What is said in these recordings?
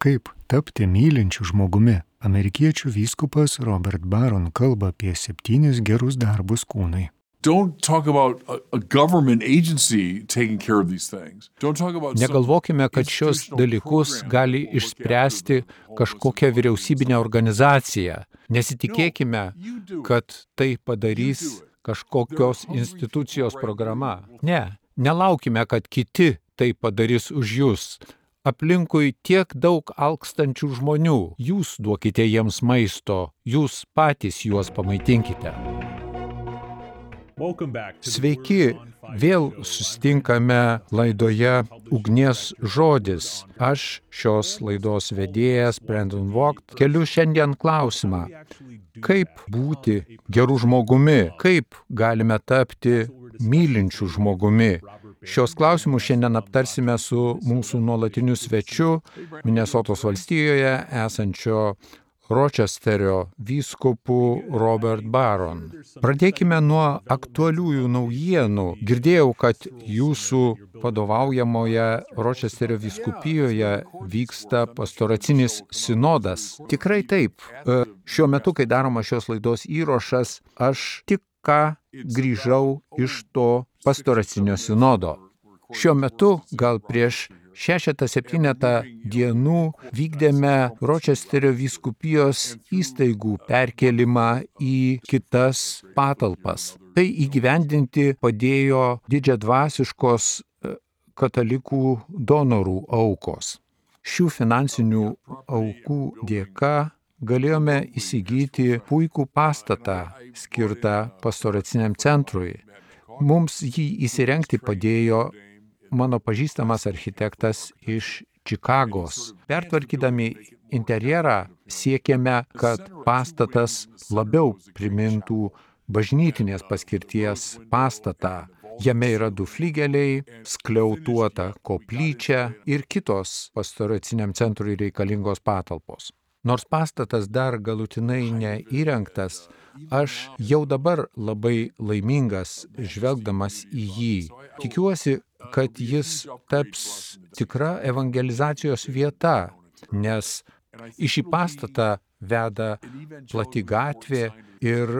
Kaip tapti mylinčiu žmogumi? Amerikiečių vyskupas Robert Barron kalba apie 7 gerus darbus kūnui. Don't talk about a government agency taking care of these things. Don't talk about Negalvokime, kad šios dalykus gali išspręsti kažkokia vyriausybinė organizacija. Nesitikėkime, kad tai padarys kažkokios institucijos programa. Ne, nelaukime, kad kiti tai padarys už jūs. Aplinkui tiek daug alkstančių žmonių. Jūs duokite jiems maisto, jūs patys juos pamaitinkite. Sveiki, vėl susitinkame laidoje Ugnies žodis. Aš šios laidos vedėjas Brandon Vogt keliu šiandien klausimą. Kaip būti geru žmogumi? Kaip galime tapti mylinčiu žmogumi? Šios klausimus šiandien aptarsime su mūsų nuolatiniu svečiu Minesotos valstijoje esančio Ročesterio vyskupu Robert Barron. Pradėkime nuo aktualiųjų naujienų. Girdėjau, kad jūsų vadovaujamoje Ročesterio vyskupijoje vyksta pastoracinis sinodas. Tikrai taip. Šiuo metu, kai daroma šios laidos įrašas, aš tik ką grįžau iš to pastoracinio sinodo. Šiuo metu, gal prieš 6-7 dienų vykdėme Ročesterio vyskupijos įstaigų perkelimą į kitas patalpas. Tai įgyvendinti padėjo didžiadvasiškos katalikų donorų aukos. Šių finansinių aukų dėka galėjome įsigyti puikų pastatą skirtą pastoraciniam centrui. Mums jį įsirengti padėjo mano pažįstamas architektas iš Čikagos. Pertvarkydami interjerą siekėme, kad pastatas labiau primintų bažnytinės paskirties pastatą. Jame yra 2 flygeliai, skliautuota koplyčia ir kitos pastoraciniam centrui reikalingos patalpos. Nors pastatas dar galutinai neįrengtas, aš jau dabar labai laimingas žvelgdamas į jį. Tikiuosi, kad jis taps tikra evangelizacijos vieta, nes į šį pastatą veda plati gatvė ir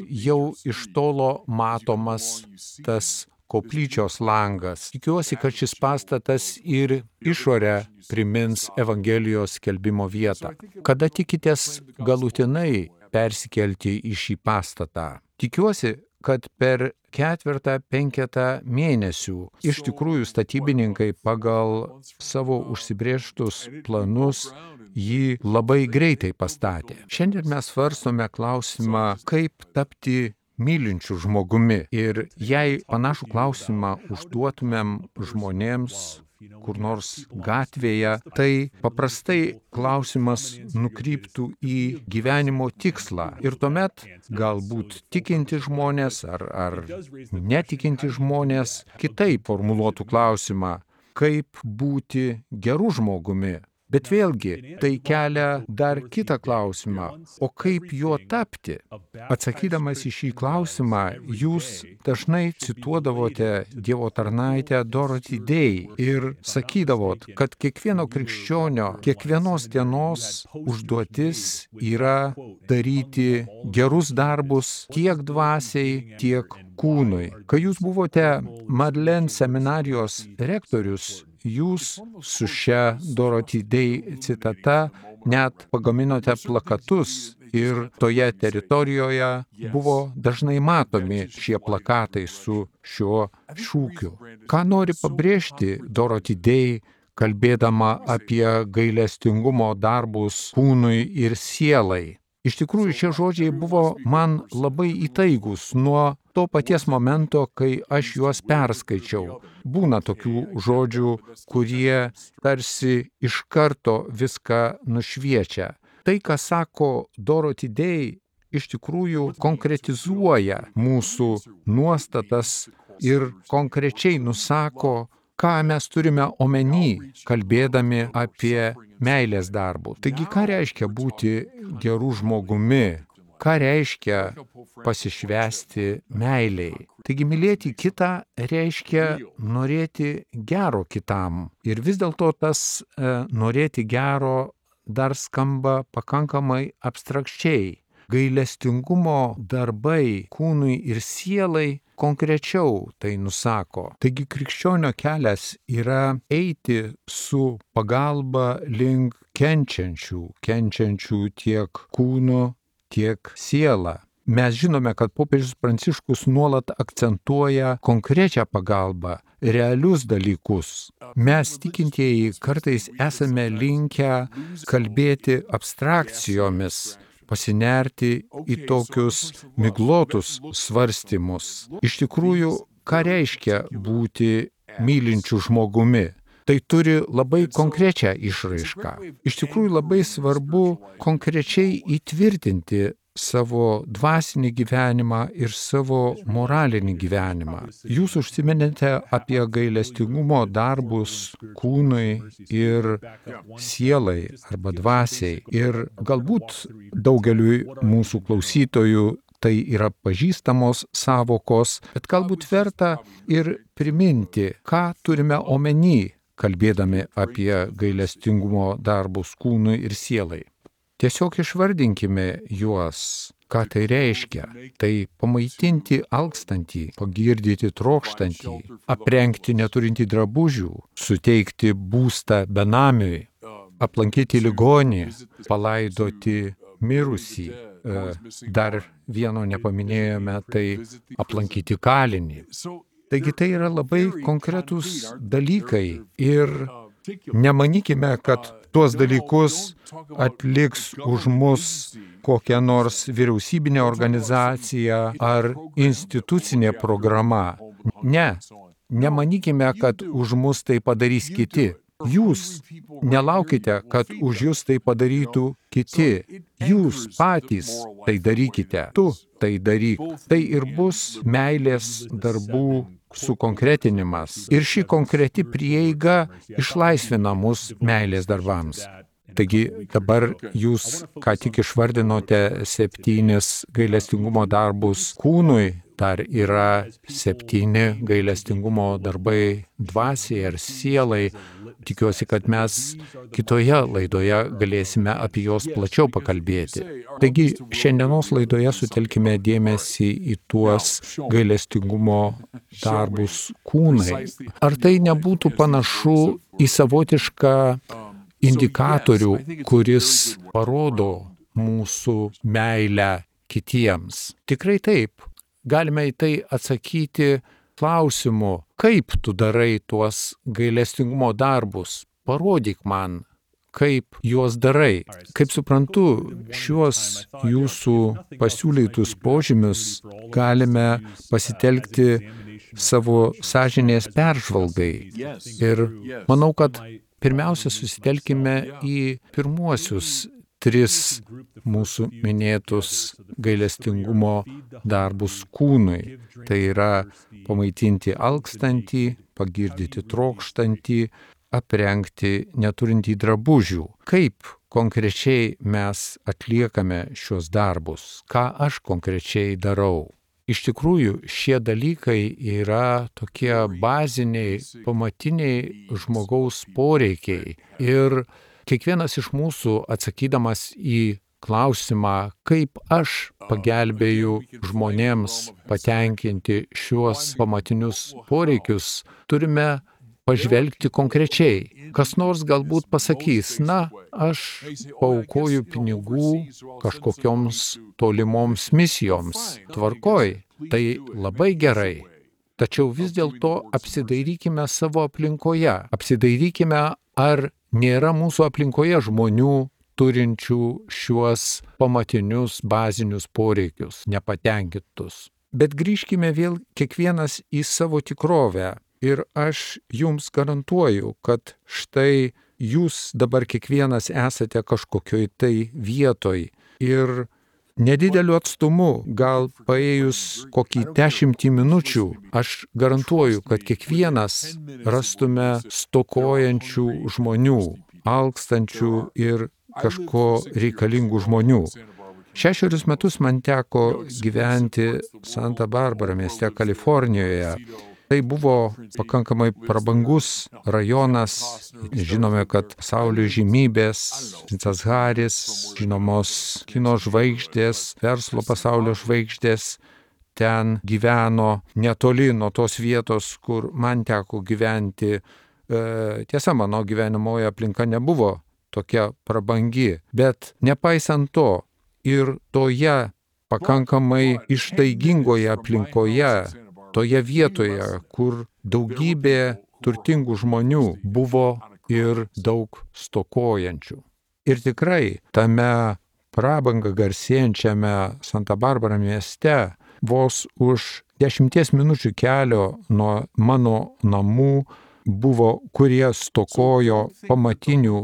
jau iš tolo matomas tas koplyčios langas. Tikiuosi, kad šis pastatas ir išorę primins Evangelijos skelbimo vietą. Kada tikitės galutinai persikelti į šį pastatą? Tikiuosi, kad per 4-5 mėnesių iš tikrųjų statybininkai pagal savo užsibrėžtus planus jį labai greitai pastatė. Šiandien mes svarstome klausimą, kaip tapti mylinčiu žmogumi. Ir jei panašų klausimą užduotumėm žmonėms kur nors gatvėje, tai paprastai klausimas nukryptų į gyvenimo tikslą. Ir tuomet galbūt tikinti žmonės ar netikinti žmonės kitaip formuluotų klausimą, kaip būti geru žmogumi. Bet vėlgi, tai kelia dar kitą klausimą, o kaip juo tapti? Atsakydamas į šį klausimą, jūs dažnai cituodavote Dievo tarnaitę Dorothy Day ir sakydavot, kad kiekvieno krikščionio, kiekvienos dienos užduotis yra daryti gerus darbus tiek dvasiai, tiek kūnui. Kai jūs buvote Madlen seminarijos rektorius, jūs su šia Dorothy Day citata net pagaminote plakatus ir toje teritorijoje buvo dažnai matomi šie plakatai su šiuo šūkiu. Ką nori pabrėžti Dorothy Day, kalbėdama apie gailestingumo darbus kūnui ir sielai? Iš tikrųjų, šie žodžiai buvo man labai įtaigus nuo to paties momento, kai aš juos perskaičiau. Būna tokių žodžių, kurie tarsi iš karto viską nušviečia. Tai, ką sako Dorothy Day, iš tikrųjų konkretizuoja mūsų nuostatas ir konkrečiai nusako, ką mes turime omeny, kalbėdami apie meilės darbų. Taigi, ką reiškia būti gerų žmogumi? ką reiškia pasišvęsti meiliai. Taigi mylėti kitą reiškia norėti gero kitam. Ir vis dėlto tas norėti gero dar skamba pakankamai abstrakčiai. Gailestingumo darbai kūnui ir sielai konkrečiau tai nusako. Taigi krikščionio kelias yra eiti su pagalba link kenčiančių tiek kūnu, tiek sielą. Mes žinome, kad popiežius Pranciškus nuolat akcentuoja konkrečią pagalbą, realius dalykus. Mes tikintieji kartais esame linkę kalbėti abstrakcijomis, pasinerti į tokius miglotus svarstymus. Iš tikrųjų, ką reiškia būti mylinčiu žmogumi? Tai turi labai konkrečią išraišką. Iš tikrųjų, labai svarbu konkrečiai įtvirtinti savo dvasinį gyvenimą ir savo moralinį gyvenimą. Jūs užsiminėte apie gailestingumo darbus kūnui ir sielai arba dvasiai. Ir galbūt daugeliui mūsų klausytojų tai yra pažįstamos savokos, bet galbūt verta ir priminti, ką turime omeny, kalbėdami apie gailestingumo darbus kūnui ir sielai. Tiesiog išvardinkime juos, ką tai reiškia. Tai pamaitinti alkstantį, pagirdyti trokštantį, aprengti neturintį drabužių, suteikti būstą benamiui, aplankyti ligonį, palaidoti mirusį. Dar vieno nepaminėjome, tai aplankyti kalinį. Taigi tai yra labai konkretūs dalykai ir nemanykime, kad tuos dalykus atliks už mus kokia nors vyriausybinė organizacija ar institucinė programa. Ne, nemanykime, kad už mus tai padarys kiti. Jūs nelaukite, kad už jūs tai padarytų kiti. Jūs patys tai darykite. Tu tai daryk. Tai ir bus meilės darbų sukonkretinimas. Ir ši konkreti prieiga išlaisvina mus meilės darbams. Taigi dabar jūs ką tik išvardinote 7 gailestingumo darbus kūnui, dar yra 7 gailestingumo darbai dvasiai ar sielai. Tikiuosi, kad mes kitoje laidoje galėsime apie juos plačiau pakalbėti. Taigi šiandienos laidoje sutelkime dėmesį į tuos gailestingumo darbus kūnai. Ar tai nebūtų panašu į savotišką indikatorių, kuris parodo mūsų meilę kitiems? Tikrai taip. Galime į tai atsakyti klausimu, kaip tu darai tuos gailestingumo darbus? Parodyk man, kaip juos darai. Kaip suprantu, šiuos jūsų pasiūlytus požymius galime pasitelkti savo sąžinės peržvalgai. Ir manau, kad pirmiausia susitelkime į pirmuosius 3 mūsų minėtus gailestingumo darbus kūnui. Tai yra pamaitinti alkstantį, pagirdyti trokštantį, aprengti neturintį drabužių. Kaip konkrečiai mes atliekame šios darbus? Ką aš konkrečiai darau? Iš tikrųjų, šie dalykai yra tokie baziniai, pamatiniai žmogaus poreikiai. Ir kiekvienas iš mūsų, atsakydamas į klausimą, kaip aš pagelbėju žmonėms patenkinti šiuos pamatinius poreikius, turime pažvelgti konkrečiai. Kas nors galbūt pasakys, na, aš paaukoju pinigų kažkokioms tolimoms misijoms. Tvarkoj, tai labai gerai. Tačiau vis dėlto apsidairykime savo aplinkoje. Apsidairykime, ar nėra mūsų aplinkoje žmonių turinčių šiuos pamatinius bazinius poreikius, nepatenkintus. Bet grįžkime vėl kiekvienas į savo tikrovę. Ir aš jums garantuoju, kad štai jūs dabar kiekvienas esate kažkokioj tai vietoj ir nedideliu atstumu, gal paėjus kokį 10 minučių, aš garantuoju, kad kiekvienas rastume stokojančių žmonių, alkstančių ir kažko reikalingų žmonių. 6 metus man teko gyventi Santa Barbara mieste Kalifornijoje. Tai buvo pakankamai prabangus rajonas. Žinome, kad pasaulio žymybės, Vincas Haris, žinomos kino žvaigždės, verslo pasaulio žvaigždės ten gyveno netoli nuo tos vietos, kur man teko gyventi. Tiesa, mano gyvenamoji aplinka nebuvo tokia prabangi, bet nepaisant to ir toje pakankamai ištaigingoje aplinkoje, toje vietoje, kur daugybė turtingų žmonių buvo ir daug stokojančių. Ir tikrai tame prabangą garsėjančiame Santa Barbara mieste vos už 10 minučių kelio nuo mano namų buvo, kurie stokojo pamatinių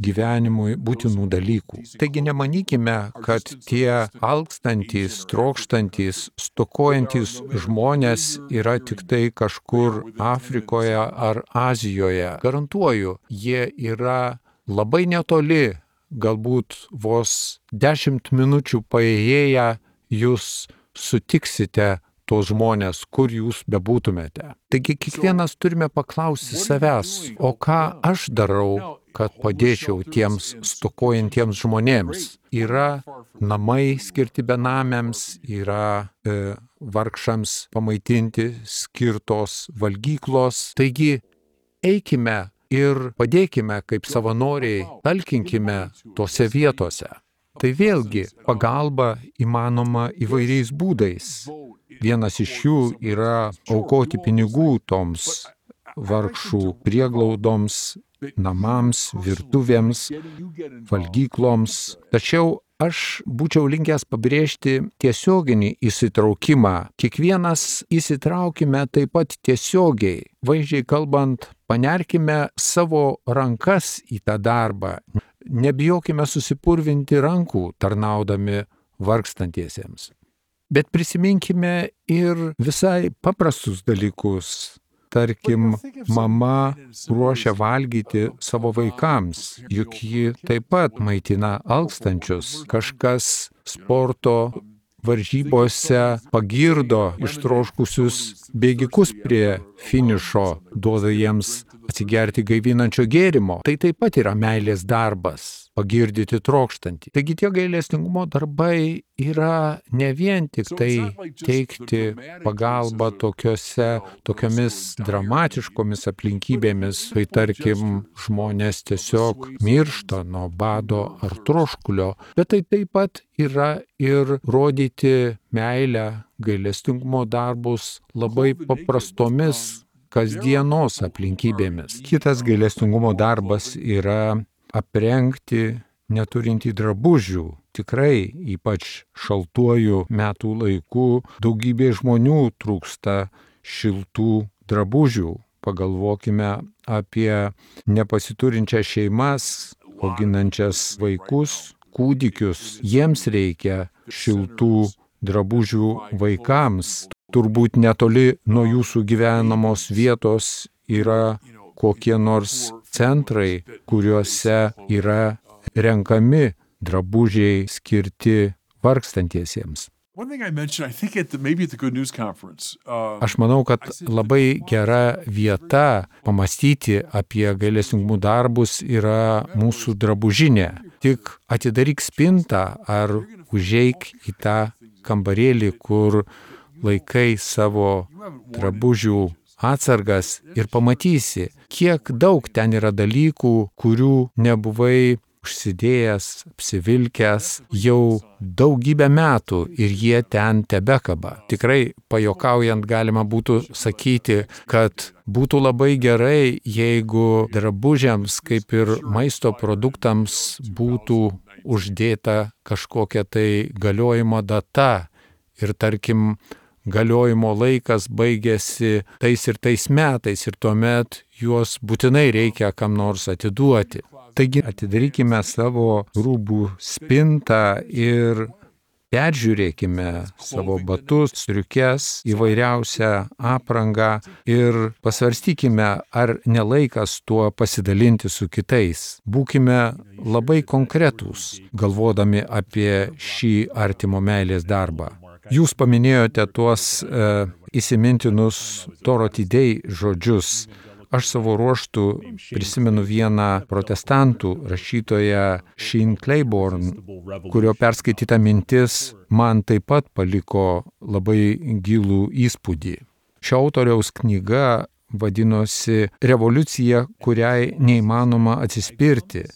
gyvenimui būtinų dalykų. Taigi nemanykime, kad tie alkstantys, trokštantys, stokojantys žmonės yra tik tai kažkur Afrikoje ar Azijoje. Garantuoju, jie yra labai netoli, galbūt vos 10 minučių paėję jūs sutiksite tos žmonės, kur jūs bebūtumėte. Taigi kiekvienas turime paklausti savęs, o ką aš darau, kad padėčiau tiems stokojantiems žmonėms. Yra namai skirti benamiams, yra vargšams pamaitinti skirtos valgyklos. Taigi eikime ir padėkime kaip savanoriai, talkinkime tose vietose. Tai vėlgi pagalba įmanoma įvairiais būdais. Vienas iš jų yra aukoti pinigų toms vargšų prieglaudoms, namams, virtuvėms, valgykloms. Tačiau aš būčiau linkęs pabrėžti tiesioginį įsitraukimą. Kiekvienas įsitraukime taip pat tiesiogiai. Vaizdžiai kalbant, panerkime savo rankas į tą darbą. Nebijokime susipurvinti rankų tarnaudami vargstantiesiems. Bet prisiminkime ir visai paprastus dalykus. Tarkim, mama ruošia valgyti savo vaikams, juk ji taip pat maitina alkstančius. Kažkas sporto varžybose pagirdo ištroškusius bėgikus prie finišo, duoda jiems atsigerti gaivinančio gėrimo. Tai taip pat yra meilės darbas, pagirdyti trokštantį. Taigi tie gailestingumo darbai yra ne vien tik tai teikti pagalbą tokiomis dramatiškomis aplinkybėmis, kai tarkim žmonės tiesiog miršta nuo bado ar troškulio, bet tai taip pat yra ir rodyti meilę, gailestingumo darbus labai paprastomis kasdienos aplinkybėmis. Kitas gailestingumo darbas yra aprengti neturintį drabužių. Tikrai, ypač šaltuoju metų laiku, daugybė žmonių trūksta šiltų drabužių. Pagalvokime apie nepasiturinčias šeimas, auginančias vaikus, kūdikius. Jiems reikia šiltų drabužių vaikams. Turbūt netoli nuo jūsų gyvenamos vietos yra kokie nors centrai, kuriuose yra renkami drabužiai skirti vargstantiesiems. Aš manau, kad labai gera vieta pamastyti apie gailestingumo darbus yra mūsų drabužinė. Tik atidaryk spintą ar užeik į tą kambarėlį, kur laikai savo drabužių atsargas ir pamatysi, kiek daug ten yra dalykų, kurių nebuvai užsidėjęs, apsivilkęs jau daugybę metų ir jie ten tebekaba. Tikrai pajuokaujant galima būtų sakyti, kad būtų labai gerai, jeigu drabužiams kaip ir maisto produktams būtų uždėta kažkokia tai galiojimo data ir tarkim galiojimo laikas baigėsi tais ir tais metais ir tuomet juos būtinai reikia kam nors atiduoti. Taigi atidarykime savo rūbų spintą ir peržiūrėkime savo batus, striukes, įvairiausią aprangą ir pasvarstykime, ar nelaikas tuo pasidalinti su kitais. Būkime labai konkretūs, galvodami apie šį artimo meilės darbą. Jūs paminėjote tuos įsimintinus Dorothy Day žodžius. Aš savo ruožtų prisimenu vieną protestantų rašytoją Sheen Claiborne, kurio perskaityta mintis man taip pat paliko labai gilų įspūdį. Šio autoriaus knyga vadinosi Revoliucija, kuriai neįmanoma atsispirti.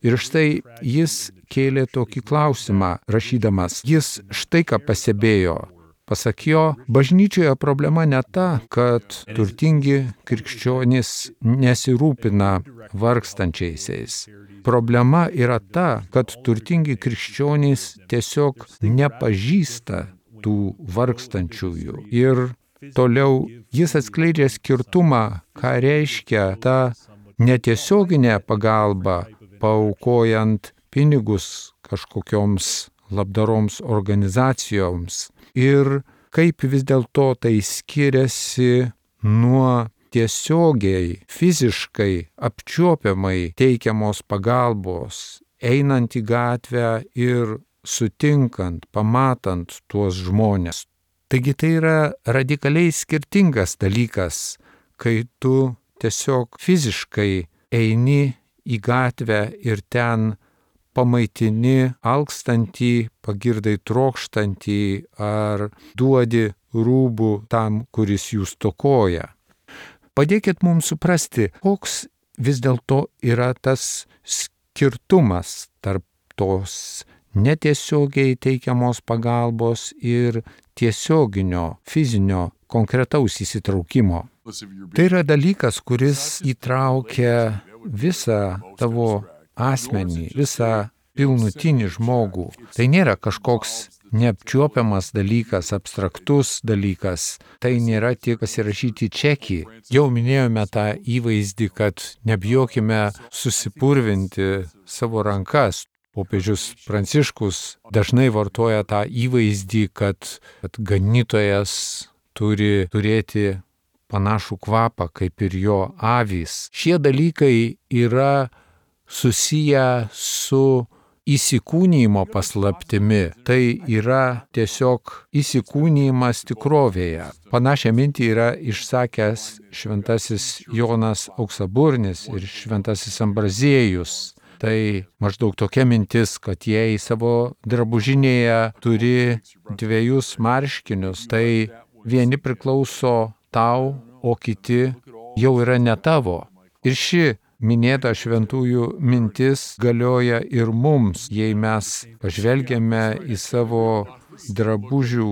Ir štai jis kėlė tokį klausimą, rašydamas. Jis štai ką pastebėjo. Pasak jo, bažnyčioje problema ne ta, kad turtingi krikščionys nesirūpina vargstančiaisiais. Problema yra ta, kad turtingi krikščionys tiesiog nepažįsta tų vargstančiųjų. Ir toliau jis atskleidžia skirtumą, ką reiškia ta netiesioginė pagalba, paaukojant pinigus kažkokioms labdaroms organizacijoms. Ir kaip vis dėlto tai skiriasi nuo tiesiogiai, fiziškai, apčiuopiamai teikiamos pagalbos, einant į gatvę ir sutinkant, pamatant tuos žmonės. Taigi tai yra radikaliai skirtingas dalykas, kai tu tiesiog fiziškai eini į gatvę ir ten pamaitini alkstantį, pagirdai trokštantį ar duodi rūbų tam, kuris jų stokoja. Padėkit mums suprasti, koks vis dėlto yra tas skirtumas tarp tos netiesiogiai teikiamos pagalbos ir tiesioginio, fizinio, konkretaus įsitraukimo. Tai yra dalykas, kuris įtraukia visą tavo asmenį, visą pilnutinį žmogų. Tai nėra kažkoks neapčiuopiamas dalykas, abstraktus dalykas. Tai nėra tik pasirašyti čekį. Jau minėjome tą įvaizdį, kad nebijokime susipurvinti savo rankas. Popiežius Pranciškus dažnai vartoja tą įvaizdį, kad ganytojas turi turėti panašų kvapą kaip ir jo avys. Šie dalykai yra susiję su įsikūnijimo paslaptimi. Tai yra tiesiog įsikūnijimas tikrovėje. Panašią mintį yra išsakęs šventasis Jonas Auksaburnis ir šventasis Ambraziejus. Tai maždaug tokia mintis, kad jei savo drabužinėje turi 2 marškinius, tai vieni priklauso tau, o kiti jau yra ne tavo. Ir ši minėta šventųjų mintis galioja ir mums, jei mes pažvelgiame į savo drabužių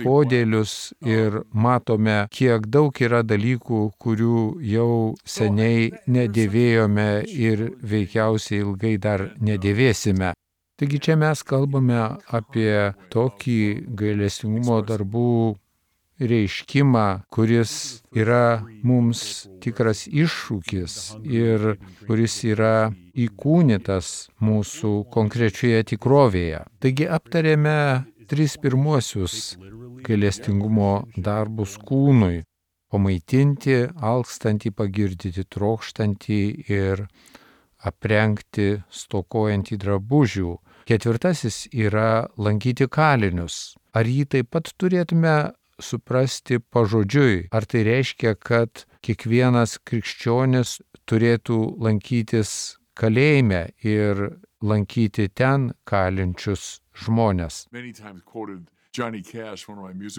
podėlius ir matome, kiek daug yra dalykų, kurių jau seniai nedėvėjome ir veikiausiai ilgai dar nedėvėsime. Taigi čia mes kalbame apie tokį gailestingumo darbų reiškimą, kuris yra mums tikras iššūkis ir kuris yra įkūnytas mūsų konkrečioje tikrovėje. Taigi aptarėme 3 pirmuosius gailestingumo darbus kūnui – pamaitinti, alkstantį, pagirdyti trokštantį ir aprengti stokojantį drabužių. 4 yra lankyti kalinius. Ar jį taip pat turėtume suprasti pažodžiui? Ar tai reiškia, kad kiekvienas krikščionis turėtų lankytis kalėjime ir lankyti ten kalinčius žmonės?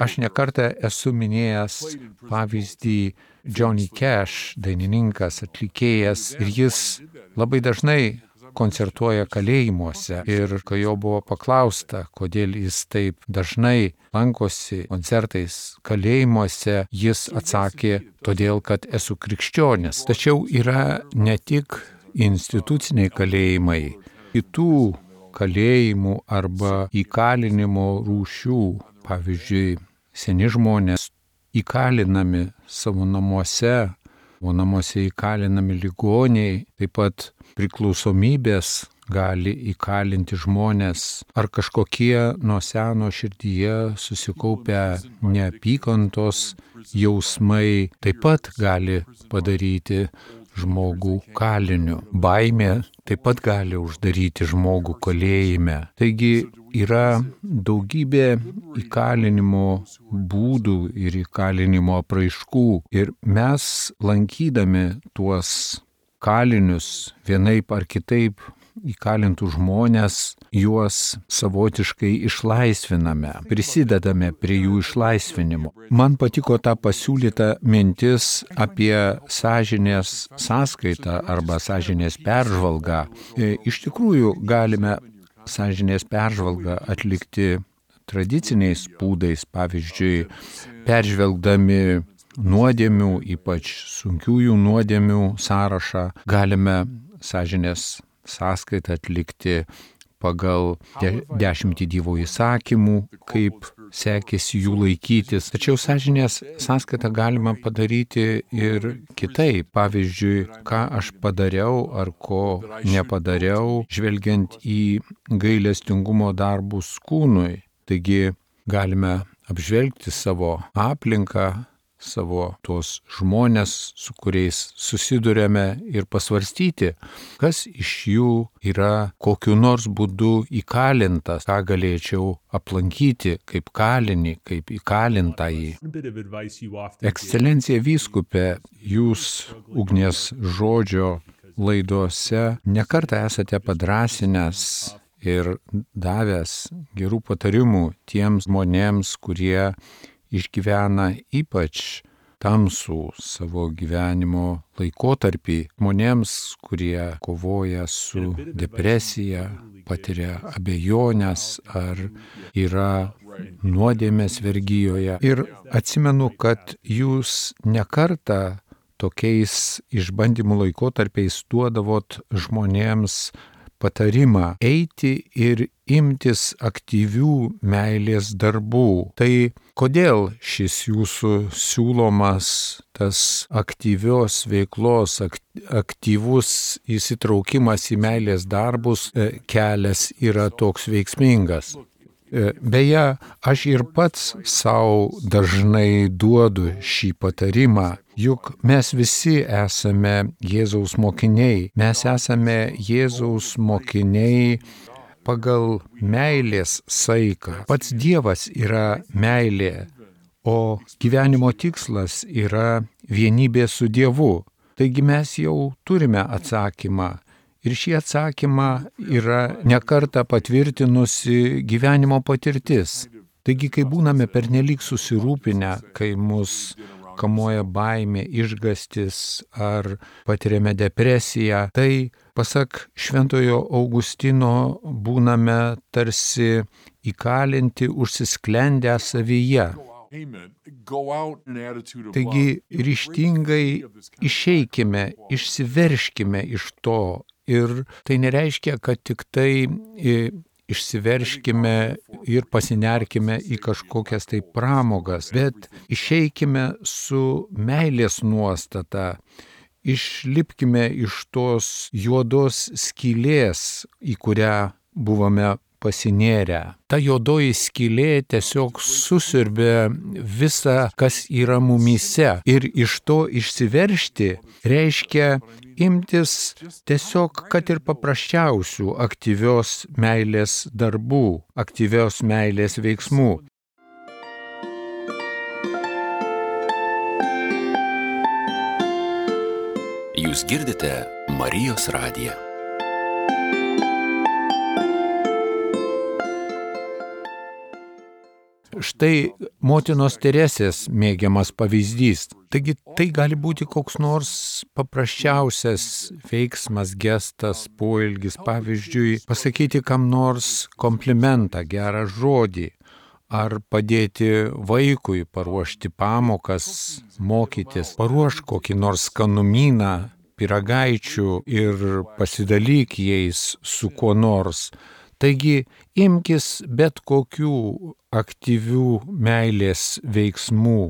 Aš nekartą esu minėjęs pavyzdį Johnny Cash, dainininkas, atlikėjas, ir jis labai dažnai koncertuoja kalėjimuose. Ir kai jo buvo paklausta, kodėl jis taip dažnai lankosi koncertais kalėjimuose, jis atsakė, todėl, kad esu krikščionis. Tačiau yra ne tik instituciniai kalėjimai, kitų kalėjimų arba įkalinimo rūšių. Pavyzdžiui, seni žmonės įkalinami savo namuose, o namuose įkalinami ligoniai, taip pat priklausomybės gali įkalinti žmonės, ar kažkokie nuo seno širdyje susikaupę neapykantos jausmai taip pat gali padaryti žmogų kaliniu. Baimė taip pat gali uždaryti žmogų kalėjime. Taigi yra daugybė įkalinimo būdų ir įkalinimo apraiškų. Ir mes, lankydami tuos kalinius, vienaip ar kitaip įkalintų žmonės, juos savotiškai išlaisviname, prisidedame prie jų išlaisvinimo. Man patiko ta pasiūlyta mintis apie sąžinės sąskaitą arba sąžinės peržvalgą. Iš tikrųjų galime sąžinės peržvalgą atlikti tradiciniais būdais, pavyzdžiui, peržvelgdami nuodėmių, ypač sunkiųjų nuodėmių sąrašą, galime sąžinės sąskaitą atlikti pagal 10 Dievo įsakymų, kaip sekėsi jų laikytis. Tačiau sąžinės sąskaitą galima padaryti ir kitaip. Pavyzdžiui, ką aš padariau ar ko nepadariau, žvelgiant į gailestingumo darbus kūnui. Taigi galime apžvelgti savo aplinką, savo tuos žmonės, su kuriais susidurėme ir pasvarstyti, kas iš jų yra kokiu nors būdu įkalintas, ką galėčiau aplankyti kaip kalinį, kaip įkalintąjį. Ekscelencija vyskupe, jūs ugnies žodžio laidose nekartą esate padrąsinęs ir davęs gerų patarimų tiems žmonėms, kurie išgyvena ypač tamsų savo gyvenimo laikotarpį, žmonėms, kurie kovoja su depresija, patiria abejonės ar yra nuodėmės vergijoje. Ir atsimenu, kad jūs nekartą tokiais išbandymų laikotarpiais duodavot žmonėms patarimą eiti ir imtis aktyvių meilės darbų. Tai kodėl šis jūsų siūlomas tas aktyvios veiklos, aktyvus įsitraukimas į meilės darbus kelias yra toks veiksmingas? Beje, aš ir pats savo dažnai duodu šį patarimą, juk mes visi esame Jėzaus mokiniai. Mes esame Jėzaus mokiniai pagal meilės saiką. Pats Dievas yra meilė, o gyvenimo tikslas yra vienybė su Dievu. Taigi mes jau turime atsakymą. Ir šį atsakymą yra nekartą patvirtinusi gyvenimo patirtis. Taigi, kai būname pernelyg susirūpinę, kai mus kamuoja baimė, išgąstis ar patiriame depresiją, tai, pasak Šventojo Augustino, būname tarsi įkalinti, užsisklendę savyje. Taigi, ryžtingai išeikime, išsiverškime iš to. Ir tai nereiškia, kad tik tai išsiverškime ir pasinerkime į kažkokias tai pramogas, bet išeikime su meilės nuostata, išlipkime iš tos juodos skylės, į kurią buvome pasinėrę. Ta juodoji skylė tiesiog susiurbė visą, kas yra mumyse. Ir iš to išsiveršti reiškia imtis tiesiog, kad ir paprasčiausių aktyvios meilės darbų, aktyvios meilės veiksmų. Jūs girdite Marijos radiją. Štai motinos Teresės mėgiamas pavyzdys. Taigi tai gali būti koks nors paprasčiausias veiksmas, gestas, poelgis, pavyzdžiui, pasakyti kam nors komplimentą, gerą žodį, ar padėti vaikui paruošti pamokas, mokytis, paruošk kokį nors skanumyną, pyragaičių ir pasidalyk jais su kuo nors. Taigi imkis bet kokių aktyvių meilės veiksmų.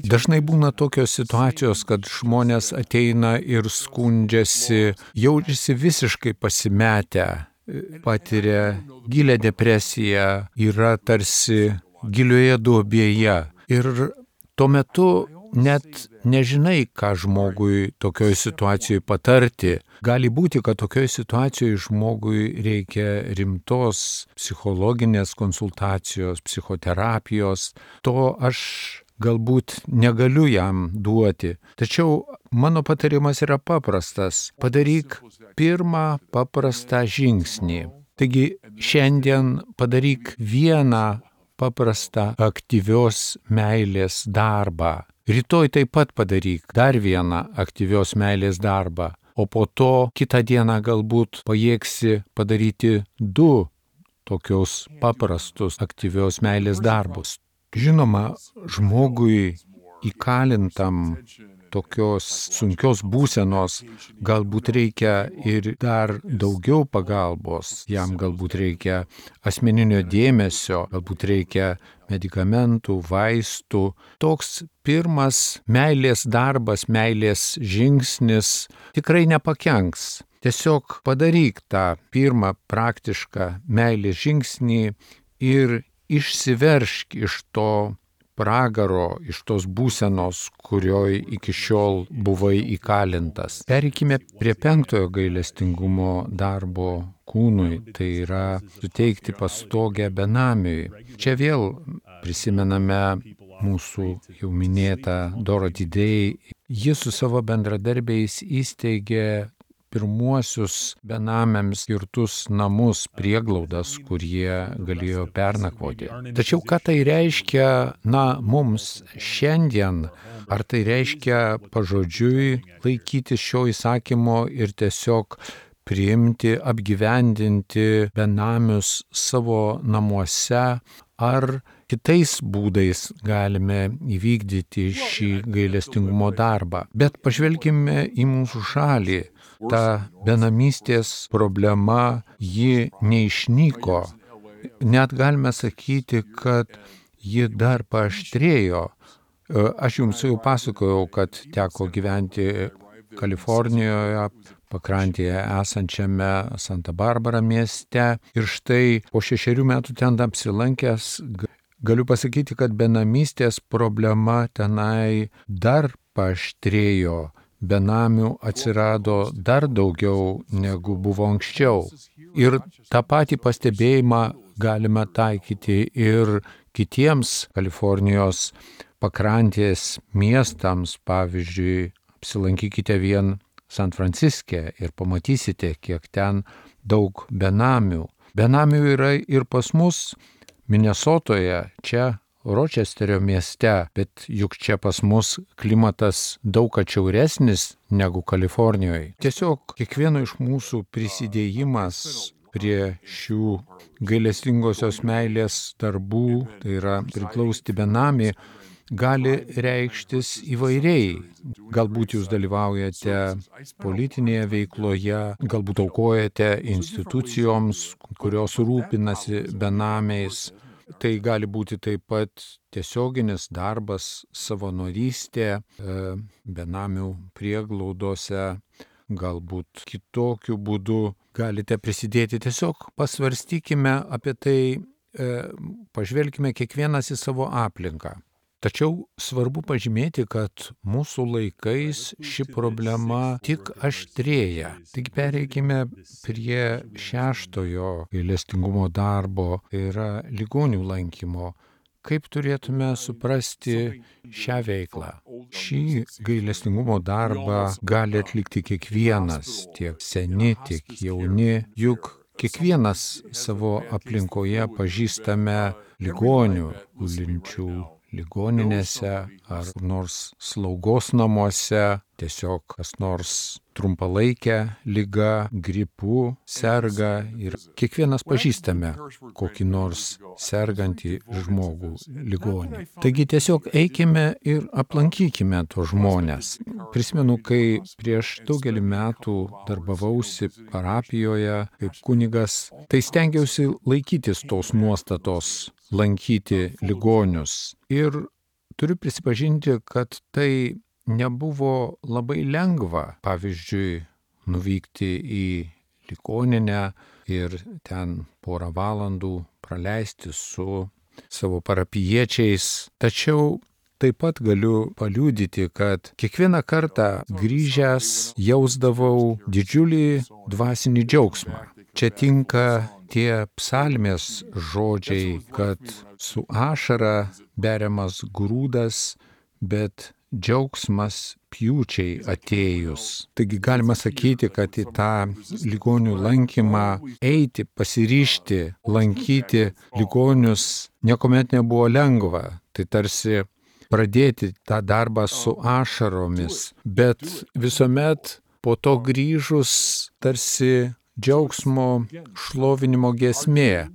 Dažnai būna tokios situacijos, kad žmonės ateina ir skundžiasi, jaučiasi visiškai pasimetę, patiria gilę depresiją, yra tarsi gilioje duobėje. Ir tuo metu net nežinai, ką žmogui tokioj situacijoje patarti. Gali būti, kad tokioj situacijoje žmogui reikia rimtos psichologinės konsultacijos, psichoterapijos. To aš galbūt negaliu jam duoti. Tačiau mano patarimas yra paprastas. Padaryk pirmą paprastą žingsnį. Taigi šiandien padaryk vieną paprastą aktyvios meilės darbą. Rytoj taip pat padaryk dar vieną aktyvios meilės darbą, o po to kitą dieną galbūt pajėgsi padaryti 2 tokius paprastus aktyvios meilės darbus. Žinoma, žmogui įkalintam tokios sunkios būsenos galbūt reikia ir dar daugiau pagalbos, jam galbūt reikia asmeninio dėmesio, galbūt reikia medikamentų, vaistų. Toks pirmas meilės darbas, meilės žingsnis tikrai nepakenks. Tiesiog padaryk tą pirmą praktišką meilės žingsnį ir išsiveršk iš to pragaro, iš tos būsenos, kurioj iki šiol buvai įkalintas. Pereikime prie 5 gailestingumo darbo kūnui, tai yra suteikti pastogę benamiui. Čia vėl prisimename mūsų jau minėtą Dorothy Day. Ji su savo bendradarbiais įsteigė pirmuosius benamiams skirtus namus, prieglaudas, kur jie galėjo pernakvoti. Tačiau ką tai reiškia, mums šiandien? Ar tai reiškia pažodžiui laikyti šio įsakymo ir tiesiog priimti, apgyvendinti benamius savo namuose, ar kitais būdais galime įvykdyti šį gailestingumo darbą? Bet pažvelkime į mūsų šalį. Ta benamystės problema, ji neišnyko. Net galime sakyti, kad ji dar paaštrėjo. Aš jums jau pasakojau, kad teko gyventi Kalifornijoje, pakrantėje esančiame Santa Barbara mieste. Ir štai po 6 metų ten apsilankęs, galiu pasakyti, kad benamystės problema tenai dar paaštrėjo. Benamių atsirado dar daugiau negu buvo anksčiau. Ir tą patį pastebėjimą galime taikyti ir kitiems Kalifornijos pakrantės miestams. Pavyzdžiui, apsilankykite vien San Franciske ir pamatysite, kiek ten daug benamių. Benamių yra ir pas mus Minesotoje, čia Ročesterio mieste, bet juk čia pas mus klimatas daug atšiauresnis negu Kalifornijoje. Tiesiog kiekvieno iš mūsų prisidėjimas prie šių gailestingosios meilės darbų, tai yra priglausti benamį, gali reikštis įvairiai. Galbūt jūs dalyvaujate politinėje veikloje, galbūt aukojate institucijoms, kurios rūpinasi benamiais. Tai gali būti taip pat tiesioginis darbas, savanorystė, benamių prieglaudose, galbūt kitokiu būdu galite prisidėti. Tiesiog pasvarstykime apie tai, pažvelkime kiekvienas į savo aplinką. Tačiau svarbu pažymėti, kad mūsų laikais ši problema tik aštrėja. Tik pereikime prie 6 gailestingumo darbo, tai yra ligonių lankymo. Kaip turėtume suprasti šią veiklą? Šį gailestingumo darbą gali atlikti kiekvienas, tiek seni, tiek jauni. Juk kiekvienas savo aplinkoje pažįstame ligonių, gulinčių ligoninėse ar nors slaugos namuose, tiesiog kas nors trumpalaikę ligą, gripu serga ir kiekvienas pažįstame kokį nors sergantį žmogų ligonį. Taigi tiesiog eikime ir aplankykime tos žmonės. Prisimenu, kai prieš daugelį metų darbavausi parapijoje kaip kunigas, tai stengiausi laikytis tos nuostatos lankyti ligonius. Ir turiu prisipažinti, kad tai nebuvo labai lengva, pavyzdžiui, nuvykti į ligoninę ir ten porą valandų praleisti su savo parapijiečiais. Tačiau taip pat galiu paliudyti, kad kiekvieną kartą grįžęs jausdavau didžiulį dvasinį džiaugsmą. Čia tinka tie psalmės žodžiai, kad su ašara beriamas grūdas, bet džiaugsmas pjūčiai atėjus. Taigi galima sakyti, kad į tą ligonių lankymą eiti, pasiryžti, lankyti ligonius niekuomet nebuvo lengva. Tai tarsi pradėti tą darbą su ašaromis, bet visuomet po to grįžus tarsi džiaugsmo šlovinimo giesmė.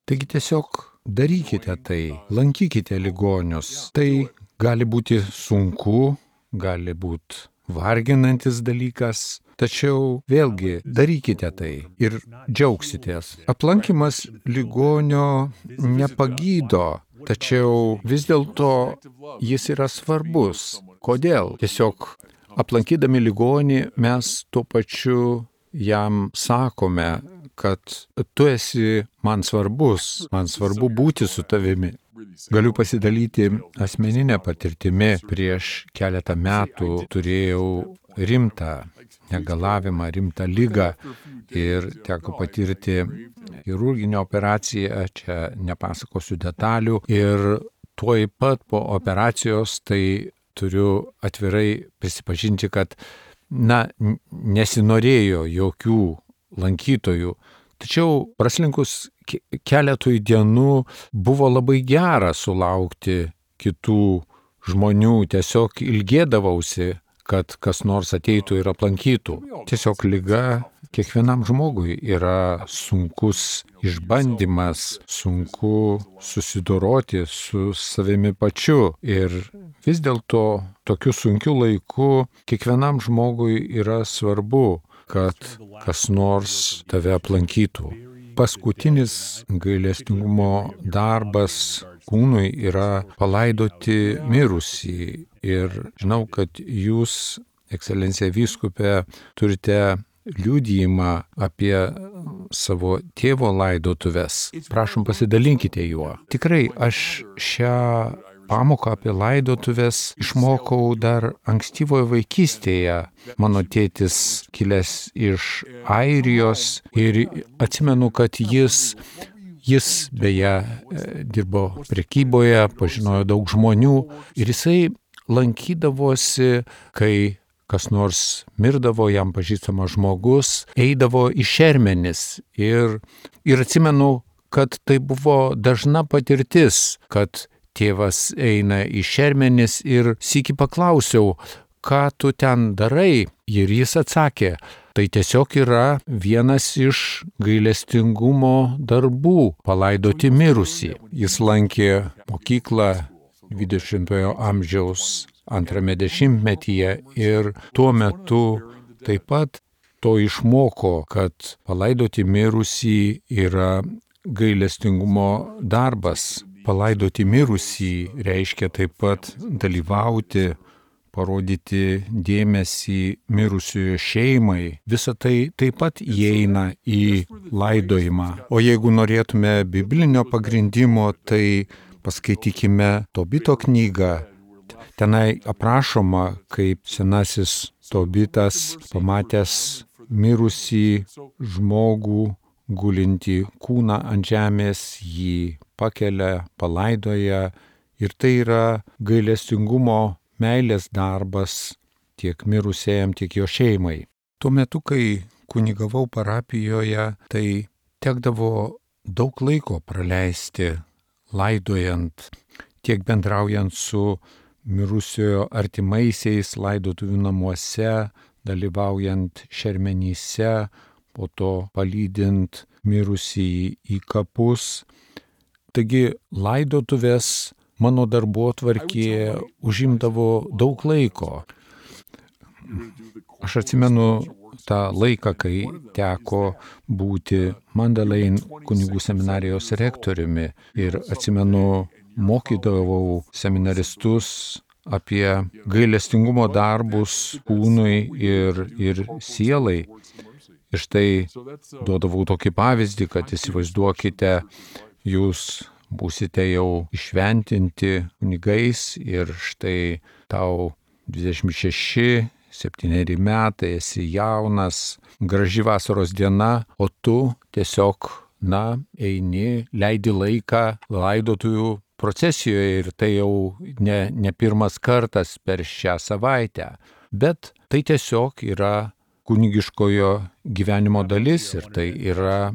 Taigi tiesiog darykite tai, lankykite ligonius. Tai gali būti sunku, gali būti varginantis dalykas, tačiau vėlgi darykite tai ir džiaugsitės. Aplankymas ligonio nepagydo, tačiau vis dėlto jis yra svarbus. Kodėl? Tiesiog aplankydami ligonį mes tuo pačiu jam sakome, kad tu esi man svarbus, man svarbu būti su tavimi. Galiu pasidalyti asmeninę patirtimį. Prieš keletą metų turėjau rimtą negalavimą, rimtą ligą ir teko patirti chirurginę operaciją, čia nepasakosiu detalių. Ir tuoj pat po operacijos tai turiu atvirai prisipažinti, kad nesinorėjo jokių lankytojų. Tačiau praslinkus keletui dienų buvo labai gera sulaukti kitų žmonių. Tiesiog ilgėdavausi, kad kas nors ateitų ir aplankytų. Tiesiog liga kiekvienam žmogui yra sunkus išbandymas, sunku susidoroti su savimi pačiu. Ir vis dėlto tokiu sunkiu laiku kiekvienam žmogui yra svarbu, kad kas nors tave aplankytų. Paskutinis gailestingumo darbas kūnui yra palaidoti mirusį. Ir žinau, kad jūs, ekscelencija vyskupe, turite liudijimą apie savo tėvo laidotuves. Prašom, pasidalinkite juo. Tikrai aš šią pamoką apie laidotuvės išmokau dar ankstyvoje vaikystėje. Mano tėtis kilęs iš Airijos ir atsimenu, kad jis beje dirbo prekyboje, pažinojo daug žmonių ir jisai lankydavosi, kai kas nors mirdavo, jam pažįstamas žmogus, eidavo į šermenis. Ir atsimenu, kad tai buvo dažna patirtis, kad tėvas eina į šermenis ir sykį paklausiau, ką tu ten darai? Ir jis atsakė, tai tiesiog yra vienas iš gailestingumo darbų - palaidoti mirusį. Jis lankė mokyklą 20-ojo amžiaus antrame dešimtmetyje ir tuo metu taip pat to išmoko, kad palaidoti mirusį yra gailestingumo darbas. Palaidoti mirusį reiškia taip pat dalyvauti, parodyti dėmesį mirusiojo šeimai. Visa tai taip pat įeina į laidojimą. O jeigu norėtume biblinio pagrindimo, tai paskaitykime Tobito knygą. Tenai aprašoma, kaip senasis Tobitas, pamatęs mirusį žmogų, gulinti kūną ant žemės, jį pakelia, palaidoja. Ir tai yra gailestingumo meilės darbas tiek mirusiajam, tiek jo šeimai. Tuo metu, kai kunigavau parapijoje, tai tekdavo daug laiko praleisti laidojant tiek bendraujant su mirusiojo artimaisiais laidotuvių namuose, dalyvaujant šermenyse, po to palydint mirusįjį į kapus. Taigi laidotuvės mano darbotvarkėje užimdavo daug laiko. Aš atsimenu tą laiką, kai teko būti Mandalein kunigų seminarijos rektoriumi ir atsimenu, mokydavau seminaristus apie gailestingumo darbus kūnui ir sielai. Ir štai duodavau tokį pavyzdį, kad įsivaizduokite, jūs būsite jau išventinti kunigais ir štai tau 26, 7 metai, esi jaunas, graži vasaros diena, o tu tiesiog, eini, leidi laiką laidotuvių procesijoje ir tai jau ne pirmas kartas per šią savaitę. Bet tai tiesiog yra kunigiškojo gyvenimo dalis ir tai yra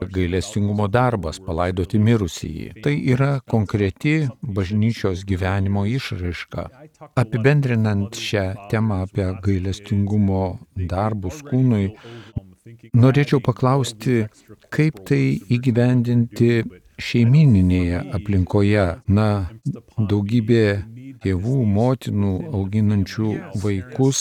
gailestingumo darbas palaidoti mirusįjį. Tai yra konkreti bažnyčios gyvenimo išraiška. Apibendrinant šią temą apie gailestingumo darbus kūnui, norėčiau paklausti, kaip tai įgyvendinti šeimyninėje aplinkoje. Daugybė tėvų, motinų auginančių vaikus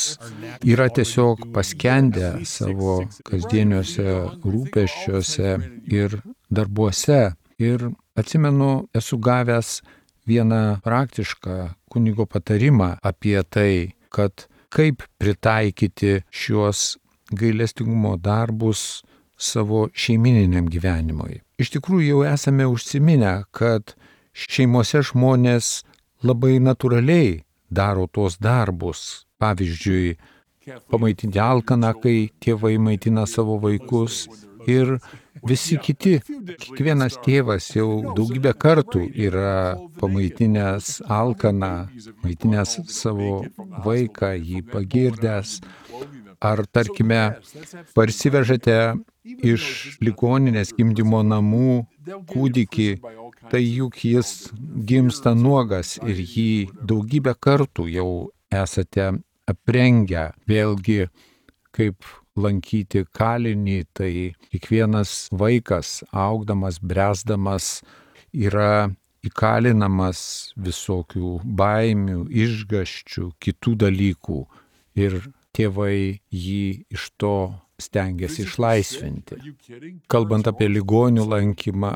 yra tiesiog paskendę savo kasdieniuose rūpesčiuose ir darbuose. Ir atsimenu, esu gavęs vieną praktišką kunigo patarimą apie tai, kad kaip pritaikyti šiuos gailestingumo darbus savo šeimininiam gyvenimui. Iš tikrųjų jau esame užsiminę, kad šeimose žmonės labai natūraliai daro tuos darbus. Pavyzdžiui, pamaitinti alkaną, kai tėvai maitina savo vaikus ir visi kiti. Kiekvienas tėvas jau daugybę kartų yra pamaitinęs alkaną, maitinęs savo vaiką, jį pagirdęs. Ar, tarkime, parsivežate iš ligoninės gimdymo namų kūdikį, tai juk jis gimsta nuogas ir jį daugybę kartų jau esate aprengę. Vėlgi, kaip lankyti kalinį, tai kiekvienas vaikas, augdamas, bręsdamas, yra įkalinamas visokių baimių, išgąsčių, kitų dalykų ir tėvai jį iš to stengiasi išlaisvinti. Kalbant apie ligonių lankymą,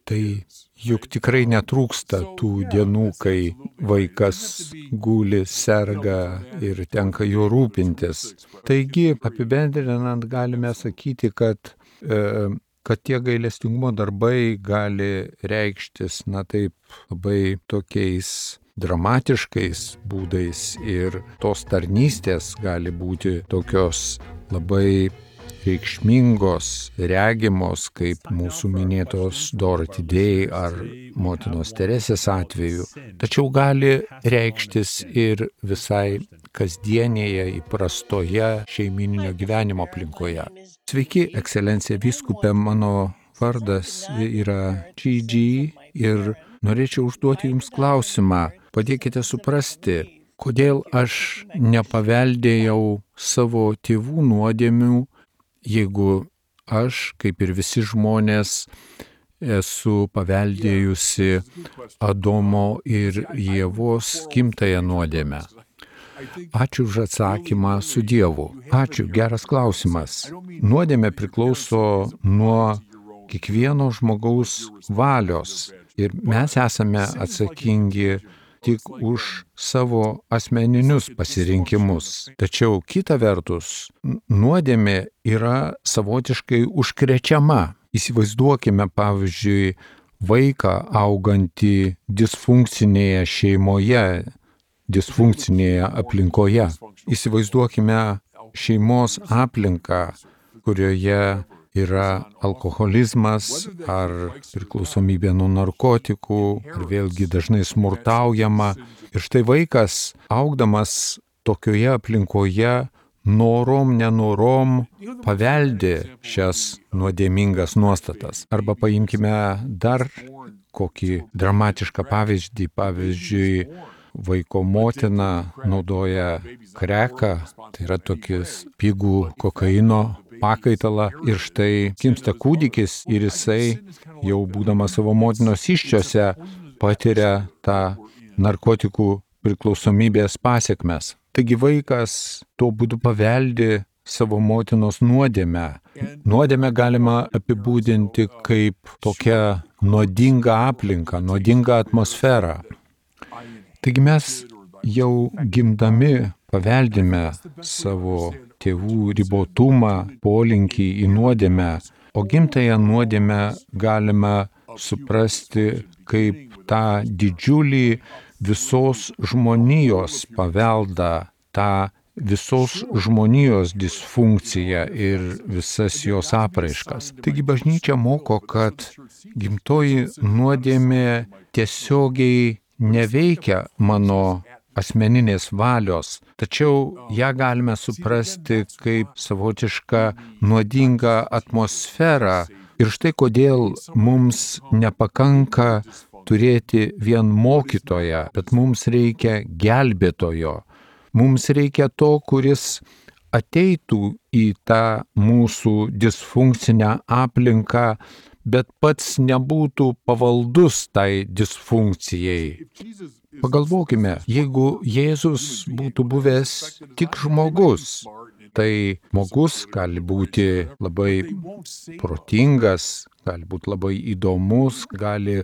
tai juk tikrai netrūksta tų dienų, kai vaikas guli, serga ir tenka juo rūpintis. Taigi, apibendrinant, galime sakyti, kad tie gailestingumo darbai gali reikštis, taip, labai tokiais dramatiškais būdais ir tos tarnystės gali būti tokios labai reikšmingos, regimos, kaip mūsų minėtos Dorothy Day ar motinos Teresės atveju, tačiau gali reikštis ir visai kasdienėje, įprastoje šeimininio gyvenimo aplinkoje. Sveiki, ekscelencija vyskupė, mano vardas yra Gigi ir norėčiau užduoti Jums klausimą. Padėkite suprasti, kodėl aš nepaveldėjau savo tėvų nuodėmių, jeigu aš, kaip ir visi žmonės, esu paveldėjusi Adomo ir Ievos gimtąją nuodėmę. Ačiū už atsakymą, su Dievu. Ačiū, geras klausimas. Nuodėmė priklauso nuo kiekvieno žmogaus valios ir mes esame atsakingi tik už savo asmeninius pasirinkimus. Tačiau kita vertus, nuodėmė yra savotiškai užkrečiama. Įsivaizduokime, pavyzdžiui, vaiką augantį disfunkcinėje šeimoje, disfunkcinėje aplinkoje. Įsivaizduokime šeimos aplinką, kurioje yra alkoholizmas ar priklausomybė nuo narkotikų, ar vėlgi dažnai smurtaujama. Ir štai vaikas, augdamas tokioje aplinkoje, norom, nenorom paveldi šias nuodėmingas nuostatas. Arba paimkime dar kokį dramatišką pavyzdį. Pavyzdžiui, vaiko motina naudoja kreką, tai yra tokis pigų kokaino pakaitalą, ir štai gimsta kūdikis ir jisai, jau būdamas savo motinos įsčiose, patiria tą narkotikų priklausomybės pasekmes. Taigi vaikas tuo būdu paveldi savo motinos nuodėmę. Nuodėmę galima apibūdinti kaip tokią nuodingą aplinką, nuodingą atmosferą. Taigi mes jau gimdami paveldime savo tėvų ribotumą, polinkį į nuodėmę, o gimtąją nuodėmę galime suprasti kaip tą didžiulį visos žmonijos paveldą, tą visos žmonijos disfunkciją ir visas jos apraiškas. Taigi bažnyčia moko, kad gimtoji nuodėmė tiesiogiai neveikia mano asmeninės valios, tačiau ją galime suprasti kaip savotišką nuodingą atmosferą. Ir štai kodėl mums nepakanka turėti vien mokytoją, bet mums reikia gelbėtojo. Mums reikia to, kuris ateitų į tą mūsų disfunkcinę aplinką, bet pats nebūtų pavaldus tai disfunkcijai. Pagalvokime, jeigu Jėzus būtų buvęs tik žmogus, tai žmogus gali būti labai protingas, gali būti labai įdomus, gali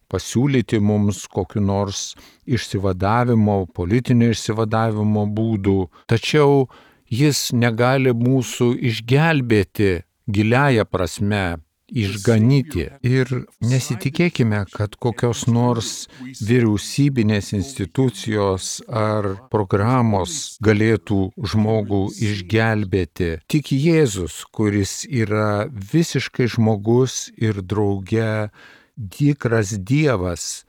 pasiūlyti mums kokiu nors išsivadavimo, politinio išsivadavimo būdų, tačiau jis negali mūsų išgelbėti giliąja prasme, išganyti. Ir nesitikėkime, kad kokios nors vyriausybinės institucijos ar programos galėtų žmogų išgelbėti. Tik Jėzus, kuris yra visiškai žmogus ir drauge tikras Dievas,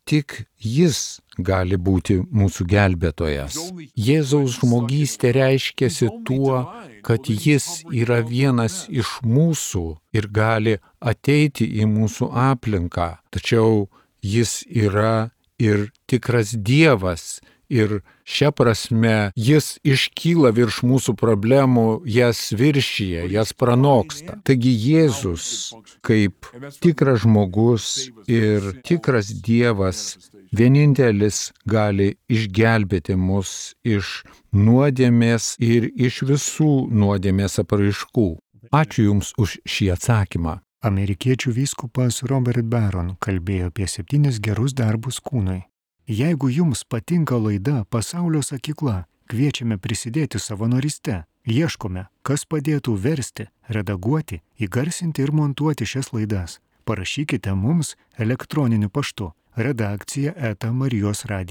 tik Jis gali būti mūsų gelbėtojas. Jėzaus žmogystė reiškiasi tuo, kad Jis yra vienas iš mūsų ir gali ateiti į mūsų aplinką. Tačiau Jis yra ir tikras Dievas. Ir šia prasme Jis iškyla virš mūsų problemų, jas viršyje, jas pranoksta. Taigi Jėzus, kaip tikras žmogus ir tikras Dievas, vienintelis gali išgelbėti mus iš nuodėmės ir iš visų nuodėmės apraiškų. Ačiū Jums už šį atsakymą. Amerikiečių vyskupas Robert Barron kalbėjo apie 7 gerus darbus kūnui. Jeigu jums patinka laida Pasaulio sakykla, kviečiame prisidėti savanoryste. Ieškome, kas padėtų versti, redaguoti, įgarsinti ir montuoti šias laidas. Parašykite mums elektroniniu paštu redakcija@marijosradio.org.